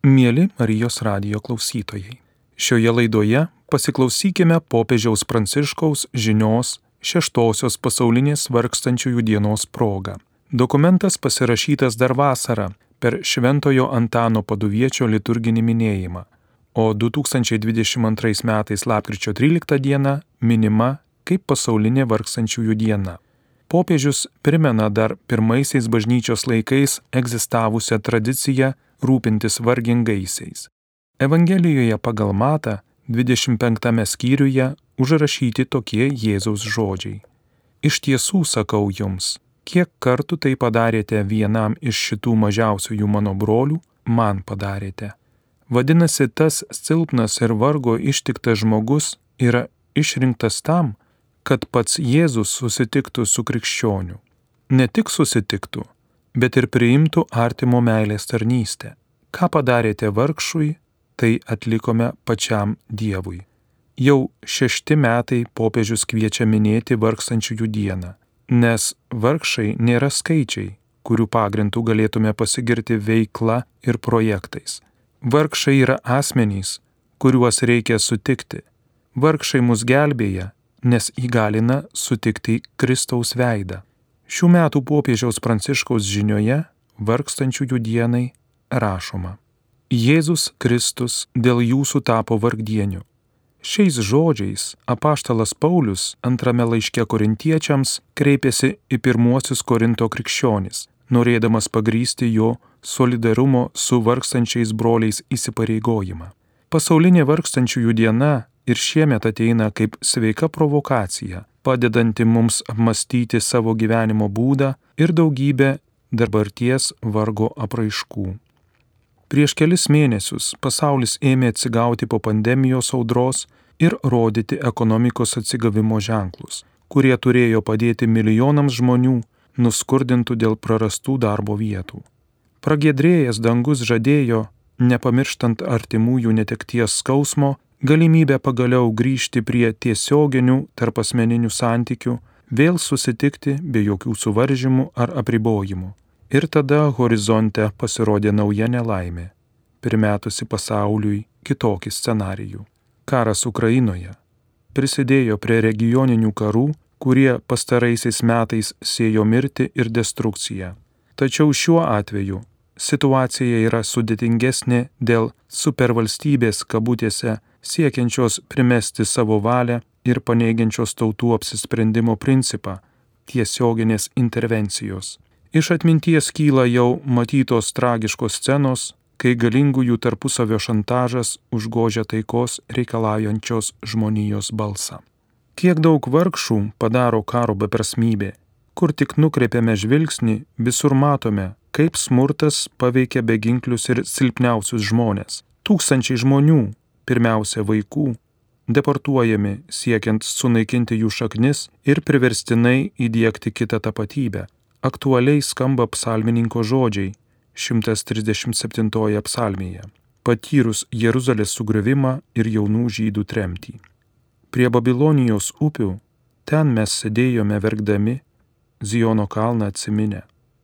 Mieli Marijos radijo klausytojai, šioje laidoje pasiklausykime popiežiaus Pranciškaus žinios 6-osios pasaulinės vargstančiųjų dienos proga. Dokumentas pasirašytas dar vasarą per Šventojo Antano Paduviečio liturginį minėjimą, o 2022 metais lapkričio 13 diena minima kaip pasaulinė vargstančiųjų diena. Popiežius primena dar pirmaisiais bažnyčios laikais egzistavusią tradiciją rūpintis vargingaisiais. Evangelijoje pagal Matą 25 skyriuje užrašyti tokie Jėzaus žodžiai. Iš tiesų sakau jums, kiek kartų tai padarėte vienam iš šitų mažiausiųjų mano brolių, man padarėte. Vadinasi, tas silpnas ir vargo ištiktas žmogus yra išrinktas tam, kad pats Jėzus susitiktų su krikščioniu. Ne tik susitiktų, bet ir priimtų artimo meilės tarnystę. Ką padarėte vargšui, tai atlikome pačiam Dievui. Jau 6 metai popiežius kviečia minėti vargstančiųjų dieną, nes vargšai nėra skaičiai, kurių pagrindų galėtume pasigirti veikla ir projektais. Vargšai yra asmenys, kuriuos reikia sutikti. Vargšai mus gelbėja, nes įgalina sutikti Kristaus veidą. Šių metų popiežiaus Pranciškaus žinioje vargstančiųjų dienai rašoma: Jėzus Kristus dėl jūsų tapo vargdieniu. Šiais žodžiais apaštalas Paulius antrame laiške korintiečiams kreipėsi į pirmuosius Korinto krikščionis, norėdamas pagrįsti jo solidarumo su vargstančiais broliais įsipareigojimą. Pasaulinė vargstančiųjų diena ir šiemet ateina kaip sveika provokacija, padedanti mums apmastyti savo gyvenimo būdą ir daugybę dabarties vargo apraiškų. Prieš kelis mėnesius pasaulis ėmė atsigauti po pandemijos audros ir rodyti ekonomikos atsigavimo ženklus, kurie turėjo padėti milijonams žmonių nuskurdintų dėl prarastų darbo vietų. Pragiedrėjęs dangus žadėjo, nepamirštant artimųjų netekties skausmo, galimybę pagaliau grįžti prie tiesioginių tarpasmeninių santykių, vėl susitikti be jokių suvaržymų ar apribojimų. Ir tada horizonte pasirodė nauja nelaimė, primetusi pasauliui kitokį scenarijų. Karas Ukrainoje prisidėjo prie regioninių karų, kurie pastaraisiais metais sėjo mirtį ir destrukciją. Tačiau šiuo atveju situacija yra sudėtingesnė dėl supervalstybės kabutėse siekiančios primesti savo valią ir paneigiančios tautų apsisprendimo principą tiesioginės intervencijos. Iš atminties kyla jau matytos tragiškos scenos, kai galingųjų tarpusavio šantažas užgožia taikos reikalaujančios žmonijos balsą. Kiek daug vargšų padaro karo beprasmybė. Kur tik nukreipiame žvilgsnį, visur matome, kaip smurtas paveikia beginklius ir silpniausius žmonės. Tūkstančiai žmonių, pirmiausia vaikų, deportuojami siekiant sunaikinti jų šaknis ir priverstinai įdiegti kitą tapatybę. Aktualiai skamba psalmininko žodžiai 137 psalmėje, patyrus Jeruzalės sugriovimą ir jaunų žydų tremtį. Prie Babilonijos upių ten mes sėdėjome verkdami, Ziono kalną atsiminę.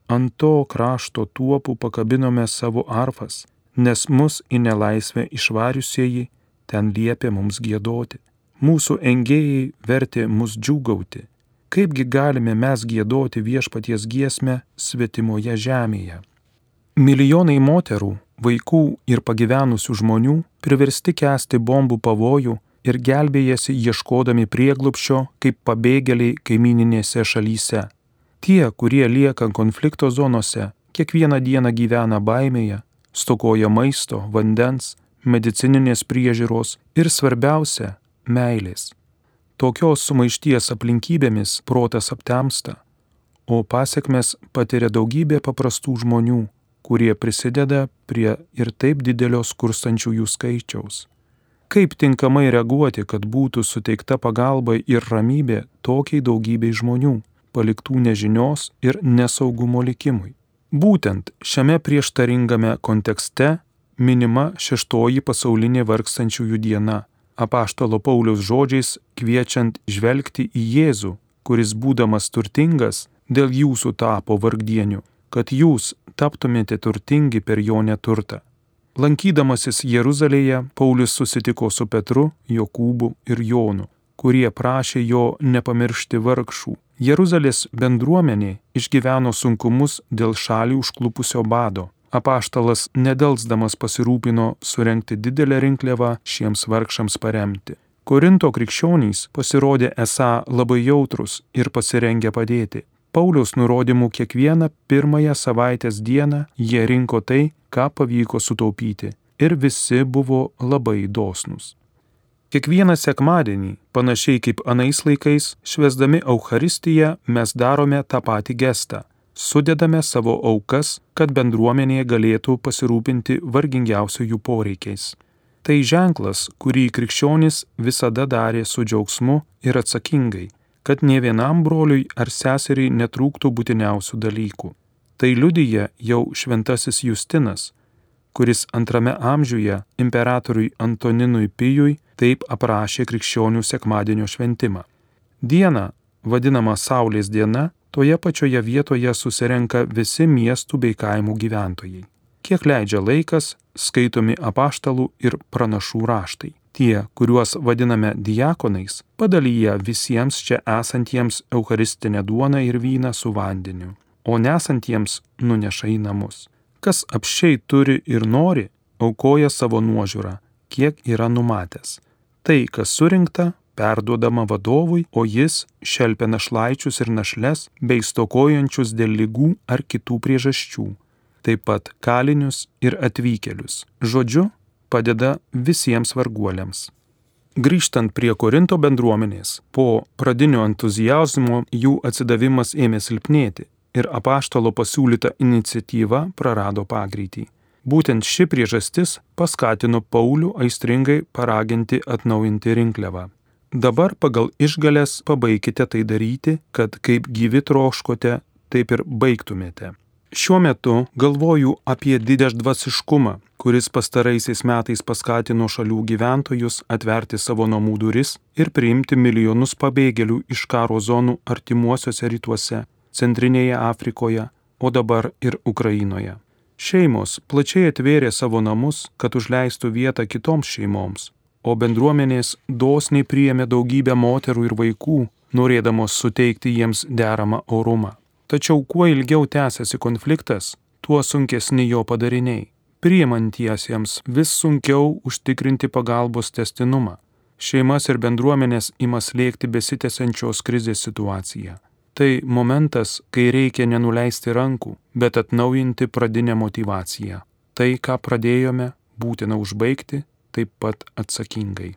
Ant to krašto tuopų pakabinome savo arfas, nes mus į nelaisvę išvariusieji ten liepė mums giedoti. Mūsų engėjai vertė mus džiūgauti. Kaipgi galime mes giedoti viešpaties giesmę svetimoje žemėje? Milijonai moterų, vaikų ir pagyvenusių žmonių priversti kęsti bombų pavojų ir gelbėjasi ieškodami prieglobsčio kaip pabėgėliai kaimyninėse šalyse. Tie, kurie lieka konflikto zonose, kiekvieną dieną gyvena baimėje, stokoja maisto, vandens, medicininės priežiūros ir svarbiausia – meilės. Tokios sumaišties aplinkybėmis protas aptemsta, o pasekmes patiria daugybė paprastų žmonių, kurie prisideda prie ir taip didelio skurstančiųjų skaičiaus. Kaip tinkamai reaguoti, kad būtų suteikta pagalba ir ramybė tokiai daugybei žmonių, paliktų nežinios ir nesaugumo likimui? Būtent šiame prieštaringame kontekste minima 6-oji pasaulinė vargstančiųjų diena, apaštalo Pauliaus žodžiais kviečiant žvelgti į Jėzų, kuris būdamas turtingas dėl jūsų tapo vargdieniu, kad jūs taptumėte turtingi per jo neturtą. Lankydamasis Jeruzalėje, Paulius susitiko su Petru, Jokūbu ir Jonu, kurie prašė jo nepamiršti vargšų. Jeruzalės bendruomenė išgyveno sunkumus dėl šalį užklupusio bado. Apaštalas nedelsdamas pasirūpino surengti didelę rinkliavą šiems vargšams paremti. Korinto krikščionys pasirodė esą labai jautrus ir pasirengę padėti. Pauliaus nurodymų kiekvieną pirmąją savaitės dieną jie rinko tai, ką pavyko sutaupyti, ir visi buvo labai dosnūs. Kiekvieną sekmadienį, panašiai kaip anais laikais, švęsdami Eucharistiją, mes darome tą patį gestą. Sudedame savo aukas, kad bendruomenė galėtų pasirūpinti vargingiausiųjų poreikiais. Tai ženklas, kurį krikščionys visada darė su džiaugsmu ir atsakingai, kad nė vienam broliui ar seseriai netrūktų būtiniausių dalykų. Tai liudija jau šventasis Justinas, kuris 2 amžiuje imperatoriui Antoninui Pijui taip aprašė krikščionių sekmadienio šventimą. Diena, vadinama Saulės diena, toje pačioje vietoje susirenka visi miestų bei kaimų gyventojai. Kiek leidžia laikas, skaitomi apaštalų ir pranašų raštai. Tie, kuriuos vadiname diakonais, padalyja visiems čia esantiems eucharistinę duoną ir vyną su vandeniu, o nesantiems nuneša į namus. Kas apsčiai turi ir nori, aukoja savo nuožiūrą, kiek yra numatęs. Tai, kas surinkta, perduodama vadovui, o jis šelpia našlaičius ir našles bei stokojančius dėl ligų ar kitų priežasčių, taip pat kalinius ir atvykėlius. Žodžiu, padeda visiems varguoliams. Grįžtant prie Korinto bendruomenės, po pradinio entuziazmo jų atsidavimas ėmė silpnėti ir apaštalo pasiūlyta iniciatyva prarado pagreitį. Būtent ši priežastis paskatino Paulių aistringai paraginti atnaujinti rinkliavą. Dabar pagal išgales pabaikite tai daryti, kad kaip gyvi troškote, taip ir baigtumėte. Šiuo metu galvoju apie didžiadvasiškumą, kuris pastaraisiais metais paskatino šalių gyventojus atverti savo namų duris ir priimti milijonus pabėgėlių iš karo zonų artimuosiuose rytuose, Centrinėje Afrikoje, o dabar ir Ukrainoje. Šeimos plačiai atvėrė savo namus, kad užleistų vietą kitoms šeimoms, o bendruomenės dosniai priėmė daugybę moterų ir vaikų, norėdamos suteikti jiems deramą orumą. Tačiau kuo ilgiau tęsiasi konfliktas, tuo sunkesni jo padariniai. Priimantiesiems vis sunkiau užtikrinti pagalbos tęstinumą. Šeimas ir bendruomenės ima slėgti besitęsiančios krizės situaciją. Tai momentas, kai reikia nenuleisti rankų, bet atnaujinti pradinę motyvaciją. Tai, ką pradėjome, būtina užbaigti, taip pat atsakingai.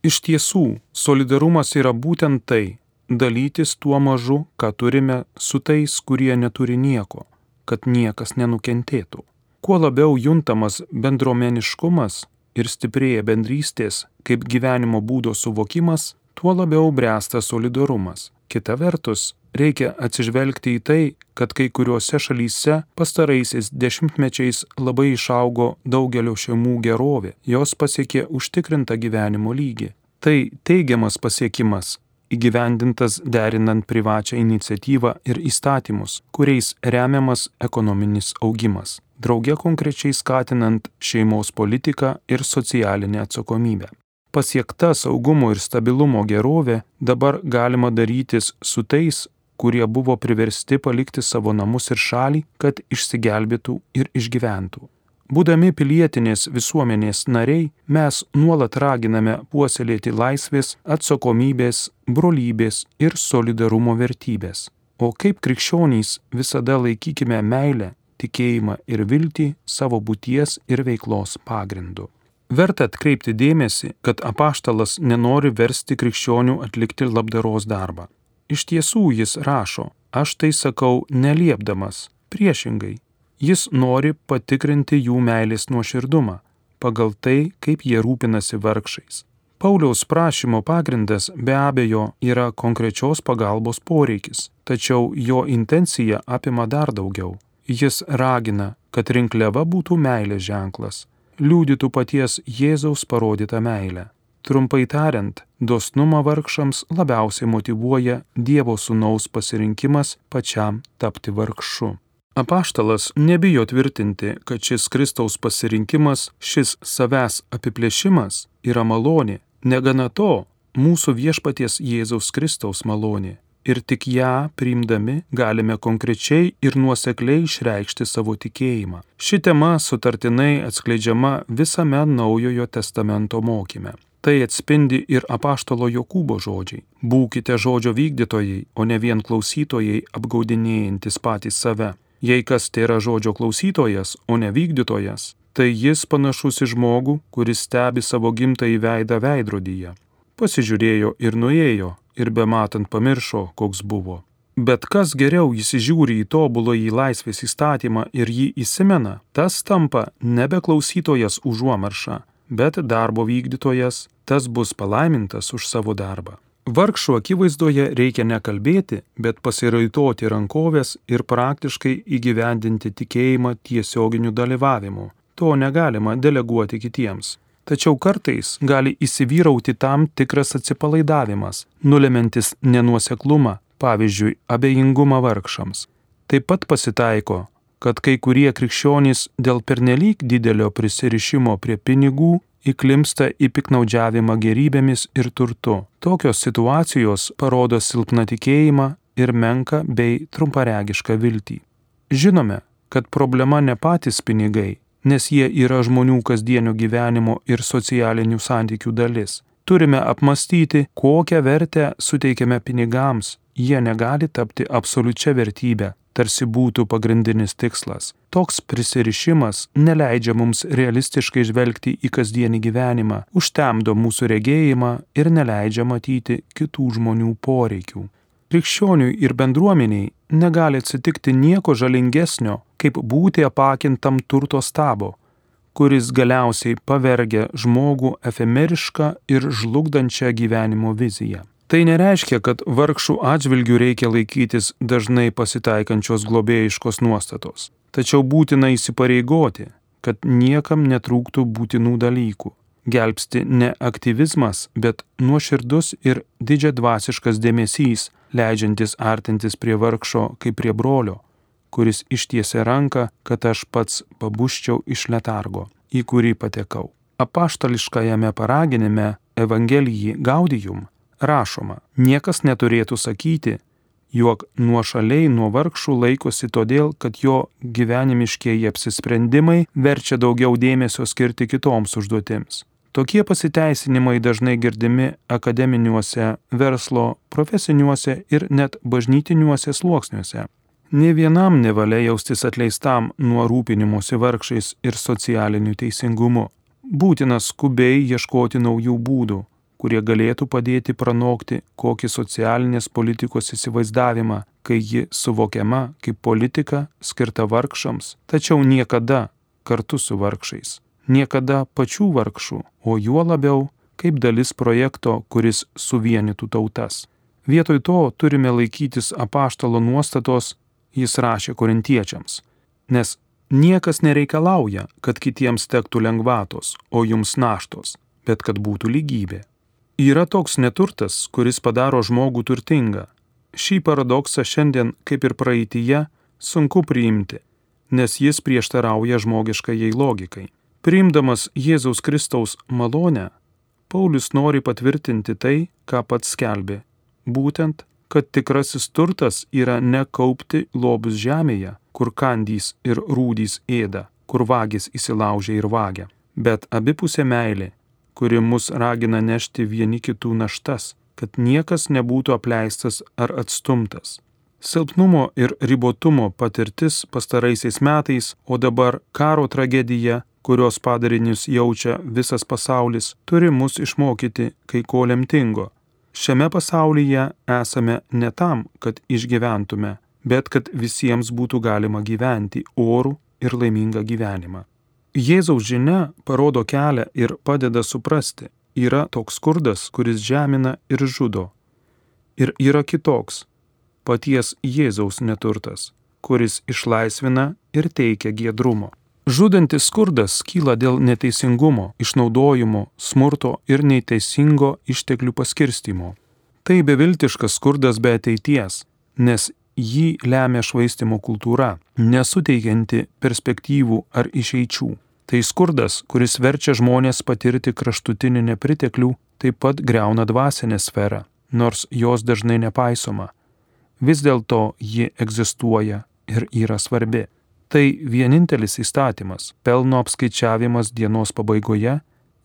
Iš tiesų, solidarumas yra būtent tai – dalytis tuo mažu, ką turime su tais, kurie neturi nieko, kad niekas nenukentėtų. Kuo labiau juntamas bendruomeniškumas ir stiprėja bendrystės kaip gyvenimo būdo suvokimas, tuo labiau bręsta solidarumas. Kita vertus, reikia atsižvelgti į tai, kad kai kuriuose šalyse pastaraisiais dešimtmečiais labai išaugo daugelio šeimų gerovė, jos pasiekė užtikrintą gyvenimo lygį. Tai teigiamas pasiekimas, įgyvendintas derinant privačią iniciatyvą ir įstatymus, kuriais remiamas ekonominis augimas, drauge konkrečiai skatinant šeimos politiką ir socialinę atsakomybę. Pasiekta saugumo ir stabilumo gerovė dabar galima darytis su tais, kurie buvo priversti palikti savo namus ir šalį, kad išsigelbėtų ir išgyventų. Būdami pilietinės visuomenės nariai, mes nuolat raginame puoselėti laisvės, atsakomybės, brolybės ir solidarumo vertybės. O kaip krikščionys visada laikykime meilę, tikėjimą ir viltį savo būties ir veiklos pagrindu. Verta atkreipti dėmesį, kad apaštalas nenori versti krikščionių atlikti labdaros darbą. Iš tiesų jis rašo, aš tai sakau neliepdamas, priešingai. Jis nori patikrinti jų meilės nuoširdumą, pagal tai, kaip jie rūpinasi vargšais. Pauliaus prašymo pagrindas be abejo yra konkrečios pagalbos poreikis, tačiau jo intencija apima dar daugiau. Jis ragina, kad rinkliava būtų meilės ženklas, liudytų paties Jėzaus parodytą meilę. Trumpai tariant, dosnumą vargšams labiausiai motyvuoja Dievo Sūnaus pasirinkimas pačiam tapti vargšu. Apaštalas nebijo tvirtinti, kad šis Kristaus pasirinkimas, šis savęs apiplėšimas yra malonė. Negana to, mūsų viešpaties Jėzaus Kristaus malonė. Ir tik ją priimdami galime konkrečiai ir nuosekliai išreikšti savo tikėjimą. Ši tema sutartinai atskleidžiama visame Naujojo testamento mokyme. Tai atspindi ir apaštalo Jokūbo žodžiai. Būkite žodžio vykdytojai, o ne vien klausytojai, apgaudinėjantis patys save. Jei kas tėra žodžio klausytojas, o ne vykdytojas, tai jis panašus į žmogų, kuris stebi savo gimtąjį veidą veidrodyje. Pasižiūrėjo ir nuėjo, ir bematant pamiršo, koks buvo. Bet kas geriau įsižiūri į tobuląjį laisvės įstatymą ir jį įsimena, tas tampa nebe klausytojas užuomarša, bet darbo vykdytojas, tas bus palaimintas už savo darbą. Vargšų akivaizdoje reikia nekalbėti, bet pasiraitoti rankovės ir praktiškai įgyvendinti tikėjimą tiesioginiu dalyvavimu. To negalima deleguoti kitiems. Tačiau kartais gali įsivyrauti tam tikras atsipalaidavimas, nulemantis nenuoseklumą, pavyzdžiui, abejingumą vargšams. Taip pat pasitaiko, kad kai kurie krikščionys dėl pernelyg didelio prisirišimo prie pinigų įklimpsta į piktnaudžiavimą gerybėmis ir turtu. Tokios situacijos parodo silpną tikėjimą ir menką bei trumparegišką viltį. Žinome, kad problema ne patys pinigai, nes jie yra žmonių kasdienio gyvenimo ir socialinių santykių dalis. Turime apmastyti, kokią vertę suteikiame pinigams. Jie negali tapti absoliučia vertybe, tarsi būtų pagrindinis tikslas. Toks prisirišimas neleidžia mums realistiškai žvelgti į kasdienį gyvenimą, užtemdo mūsų regėjimą ir neleidžia matyti kitų žmonių poreikių. Krikščioniui ir bendruomeniai negali atsitikti nieko žalingesnio, kaip būti apakintam turto stabo, kuris galiausiai pavergia žmogų efemerišką ir žlugdančią gyvenimo viziją. Tai nereiškia, kad vargšų atžvilgių reikia laikytis dažnai pasitaikančios globėjiškos nuostatos. Tačiau būtina įsipareigoti, kad niekam netrūktų būtinų dalykų. Gelbsti ne aktyvizmas, bet nuoširdus ir didžiadvasiškas dėmesys, leidžiantis artintis prie vargšo kaip prie brolio, kuris ištiesia ranką, kad aš pats pabuščiau iš letargo, į kurį patekau. Apaštališkajame paraginime Evangelijai Gaudijum rašoma, niekas neturėtų sakyti, jog nuošaliai nuo vargšų laikosi todėl, kad jo gyvenimiškieji apsisprendimai verčia daugiau dėmesio skirti kitoms užduotims. Tokie pasiteisinimai dažnai girdimi akademiniuose, verslo, profesiniuose ir net bažnytiniuose sluoksniuose. Nė vienam nevalia jaustis atleistam nuo rūpinimosi vargšais ir socialiniu teisingumu. Būtina skubiai ieškoti naujų būdų, kurie galėtų padėti pranokti kokį socialinės politikos įsivaizdavimą, kai ji suvokiama kaip politika skirta vargšams, tačiau niekada kartu su vargšais. Niekada pačių vargšų, o juo labiau kaip dalis projekto, kuris suvienytų tautas. Vietoj to turime laikytis apaštalo nuostatos, jis rašė korintiečiams, nes niekas nereikalauja, kad kitiems tektų lengvatos, o jums naštos, bet kad būtų lygybė. Yra toks neturtas, kuris padaro žmogų turtingą. Šį paradoksą šiandien, kaip ir praeityje, sunku priimti, nes jis prieštarauja žmogiškajai logikai. Priimdamas Jėzaus Kristaus malonę, Paulius nori patvirtinti tai, ką pats skelbė. Būtent, kad tikrasis turtas yra ne kaupti lobius žemėje, kur kandys ir rūdys ėda, kur vagis įsilaužia ir vagia, bet abipusė meilė, kuri mus ragina nešti vieni kitų naštas, kad niekas nebūtų apleistas ar atstumtas. Silpnumo ir ribotumo patirtis pastaraisiais metais, o dabar karo tragedija, kurios padarinius jaučia visas pasaulis, turi mus išmokyti kai ko lemtingo. Šiame pasaulyje esame ne tam, kad išgyventume, bet kad visiems būtų galima gyventi orų ir laimingą gyvenimą. Jėzaus žinia parodo kelią ir padeda suprasti, yra toks skurdas, kuris žemina ir žudo. Ir yra kitoks, paties Jėzaus neturtas, kuris išlaisvina ir teikia giedrumo. Žudantis skurdas kyla dėl neteisingumo, išnaudojimo, smurto ir neteisingo išteklių paskirstymo. Tai beviltiškas skurdas be ateities, nes jį lemia švaistimo kultūra, nesuteikianti perspektyvų ar išeičių. Tai skurdas, kuris verčia žmonės patirti kraštutinį nepriteklių, taip pat griauna dvasinę sferą, nors jos dažnai nepaisoma. Vis dėlto ji egzistuoja ir yra svarbi. Tai vienintelis įstatymas, pelno apskaičiavimas dienos pabaigoje,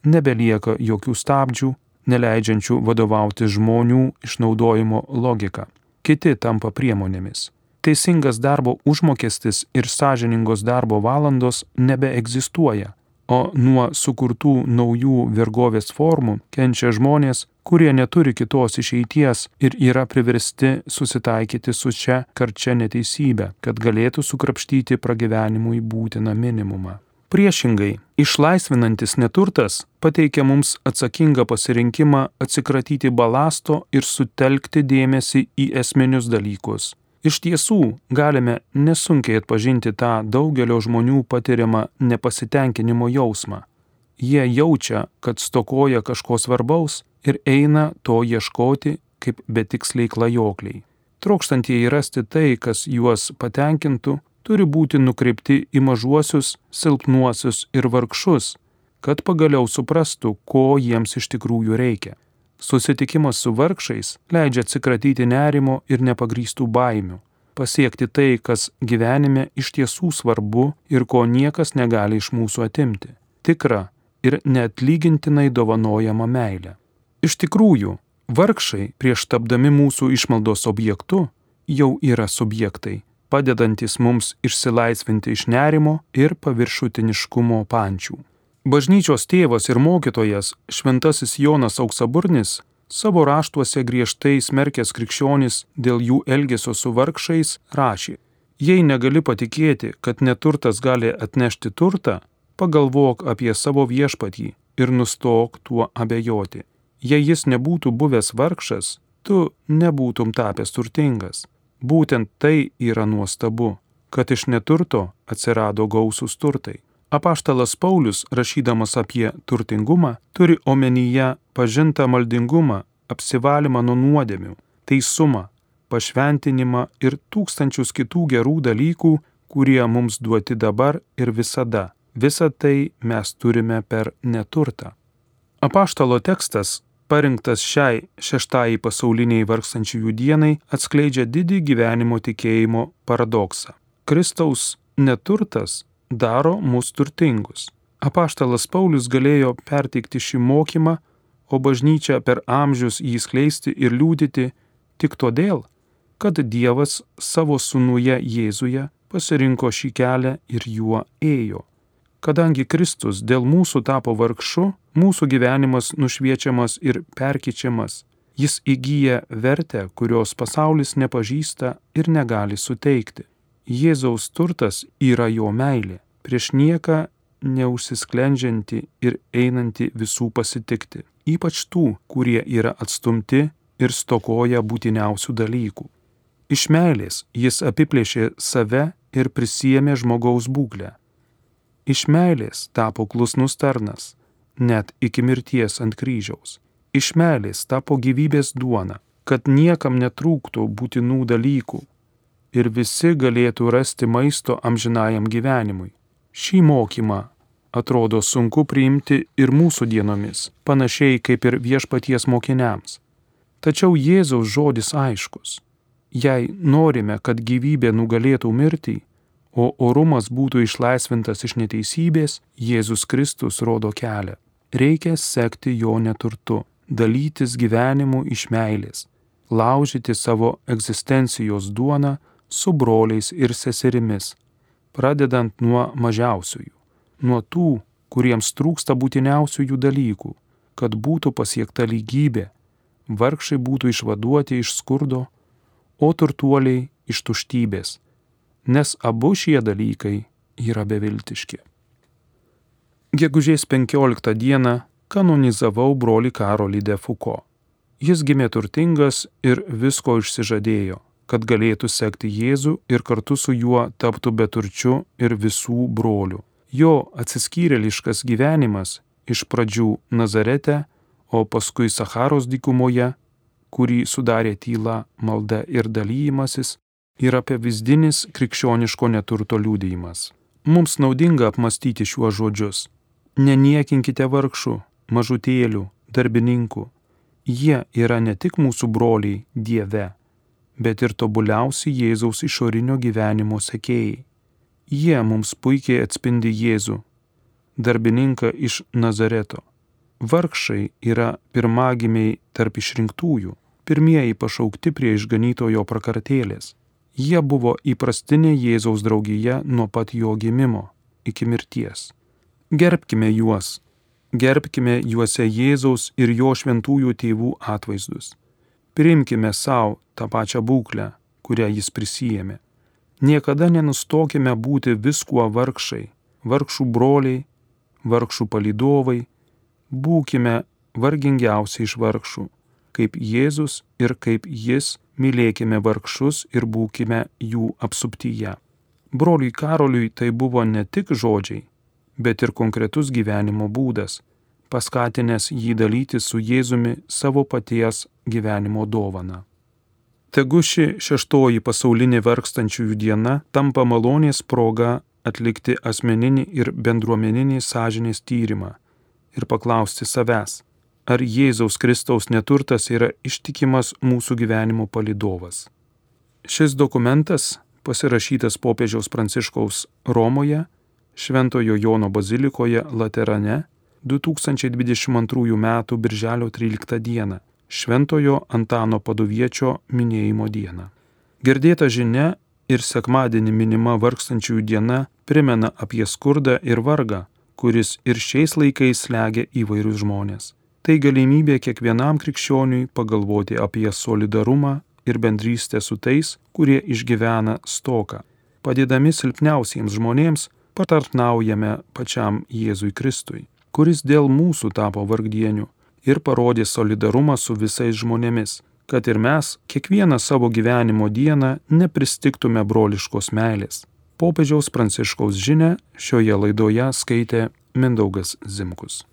nebelieka jokių stabdžių, neleidžiančių vadovauti žmonių išnaudojimo logika. Kiti tampa priemonėmis. Teisingas darbo užmokestis ir sąžiningos darbo valandos nebeegzistuoja, o nuo sukurtų naujų vergovės formų kenčia žmonės, kurie neturi kitos išeities ir yra priversti susitaikyti su šia karčia neteisybe, kad galėtų sukrapštyti pragyvenimui būtiną minimumą. Priešingai, išlaisvinantis neturtas pateikia mums atsakingą pasirinkimą atsikratyti balasto ir sutelkti dėmesį į esminius dalykus. Iš tiesų, galime nesunkiai atpažinti tą daugelio žmonių patiriamą nepasitenkinimo jausmą. Jie jaučia, kad stokoja kažko svarbaus ir eina to ieškoti kaip betiksliai klajokliai. Trokštantieji rasti tai, kas juos patenkintų, turi būti nukreipti į mažuosius, silpnuosius ir vargšus, kad pagaliau suprastų, ko jiems iš tikrųjų reikia. Susitikimas su vargšais leidžia atsikratyti nerimo ir nepagrįstų baimių, pasiekti tai, kas gyvenime iš tiesų svarbu ir ko niekas negali iš mūsų atimti – tikrą ir neatlygintinai dovanojamą meilę. Iš tikrųjų, vargšai prieš tapdami mūsų išmaldos objektu jau yra subjektai, padedantis mums išsilaisvinti iš nerimo ir paviršutiniškumo pančių. Bažnyčios tėvas ir mokytojas šventasis Jonas Auksaburnis savo raštuose griežtai smerkęs krikščionis dėl jų elgesio su vargšais rašė: Jei negali patikėti, kad neturtas gali atnešti turtą, pagalvok apie savo viešpatį ir nustok tuo abejoti. Jei jis nebūtų buvęs vargšas, tu nebūtum tapęs turtingas. Būtent tai yra nuostabu, kad iš neturto atsirado gausūs turtai. Apaštalas Paulius, rašydamas apie turtingumą, turi omenyje pažintą maldingumą, apsivalymą nuo nuodėmių, teisumą, pašventinimą ir tūkstančius kitų gerų dalykų, kurie mums duoti dabar ir visada. Visą tai mes turime per neturtą. Apaštalo tekstas, parinktas šiai šeštajai pasauliniai vargstančiųjų dienai, atskleidžia didį gyvenimo tikėjimo paradoksą. Kristaus neturtas daro mus turtingus. Apaštalas Paulius galėjo perteikti šį mokymą, o bažnyčia per amžius jį skleisti ir liudyti tik todėl, kad Dievas savo sūnuje Jėzuje pasirinko šį kelią ir juo ėjo. Kadangi Kristus dėl mūsų tapo vargšu, mūsų gyvenimas nušviečiamas ir perkeičiamas. Jis įgyja vertę, kurios pasaulis nepažįsta ir negali suteikti. Jėzaus turtas yra jo meilė, prieš nieką neužsisklendžianti ir einanti visų pasitikti, ypač tų, kurie yra atstumti ir stokoja būtiniausių dalykų. Iš meilės jis apiplėšė save ir prisiėmė žmogaus būklę. Iš meilės tapo klusnus tarnas, net iki mirties ant kryžiaus. Iš meilės tapo gyvybės duona, kad niekam netrūktų būtinų dalykų ir visi galėtų rasti maisto amžinajam gyvenimui. Šį mokymą atrodo sunku priimti ir mūsų dienomis, panašiai kaip ir viešpaties mokiniams. Tačiau Jėzaus žodis aiškus. Jei norime, kad gyvybė nugalėtų mirtį, o orumas būtų išlaisvintas iš neteisybės, Jėzus Kristus rodo kelią. Reikia sekti jo neturtu, dalytis gyvenimu iš meilės, laužyti savo egzistencijos duoną su broliais ir seserimis, pradedant nuo mažiausiųjų, nuo tų, kuriems trūksta būtiniausiųjų dalykų, kad būtų pasiekta lygybė, vargšai būtų išvaduoti iš skurdo, o turtuoliai iš tuštybės, nes abu šie dalykai yra beviltiški. Gegužės 15 dieną kanonizavau brolį Karolį de Foucault. Jis gimė turtingas ir visko išsižadėjo, kad galėtų sekti Jėzų ir kartu su juo taptų beturčiu ir visų brolių. Jo atsiskyrėliškas gyvenimas iš pradžių Nazarete, o paskui Sacharos dykumoje, kurį sudarė tyla, malda ir dalymasis, yra pavyzdinis krikščioniško neturto liudijimas. Mums naudinga apmastyti šiuos žodžius. Neniekinkite vargšų, mažutėlių, darbininkų. Jie yra ne tik mūsų broliai Dieve, bet ir tobuliausi Jėzaus išorinio gyvenimo sekėjai. Jie mums puikiai atspindi Jėzų, darbininką iš Nazareto. Vargšai yra pirmagimiai tarp išrinktųjų, pirmieji pašaukti prie išganytojo prakartėlės. Jie buvo įprastinė Jėzaus draugija nuo pat jo gimimo iki mirties. Gerbkime juos, gerbkime juose Jėzaus ir jo šventųjų tėvų atvaizdus. Priimkime savo tą pačią būklę, kurią jis prisijėmė. Niekada nenustokime būti viskuo vargšai, vargšų broliai, vargšų palydovai, būkime vargingiausiai iš vargšų, kaip Jėzus ir kaip jis, mylėkime vargšus ir būkime jų apsuptyje. Broliui Karoliui tai buvo ne tik žodžiai, bet ir konkretus gyvenimo būdas, paskatinęs jį dalyti su Jėzumi savo paties gyvenimo dovaną. Tegu ši 6 pasaulinė vargstančiųjų diena tampa malonės proga atlikti asmeninį ir bendruomeninį sąžinės tyrimą ir paklausti savęs, ar Jėzaus Kristaus neturtas yra ištikimas mūsų gyvenimo palydovas. Šis dokumentas, pasirašytas popiežiaus Pranciškaus Romoje, Šventojo Jono bazilikoje Laterane 2022 m. birželio 13 d. Šventojo Antano Paduviečio minėjimo dieną. Girdėta žinia ir sekmadienį minima vargstančiųjų diena primena apie skurdą ir vargą, kuris ir šiais laikais slegia įvairius žmonės. Tai galimybė kiekvienam krikščioniui pagalvoti apie solidarumą ir bendrystę su tais, kurie išgyvena stoką. Padėdami silpniausiems žmonėms patarnaujame pačiam Jėzui Kristui, kuris dėl mūsų tapo vargdieniu ir parodė solidarumą su visais žmonėmis, kad ir mes kiekvieną savo gyvenimo dieną nepristigtume broliškos meilės. Popiežiaus Pranciškaus žinią šioje laidoje skaitė Mindaugas Zimkus.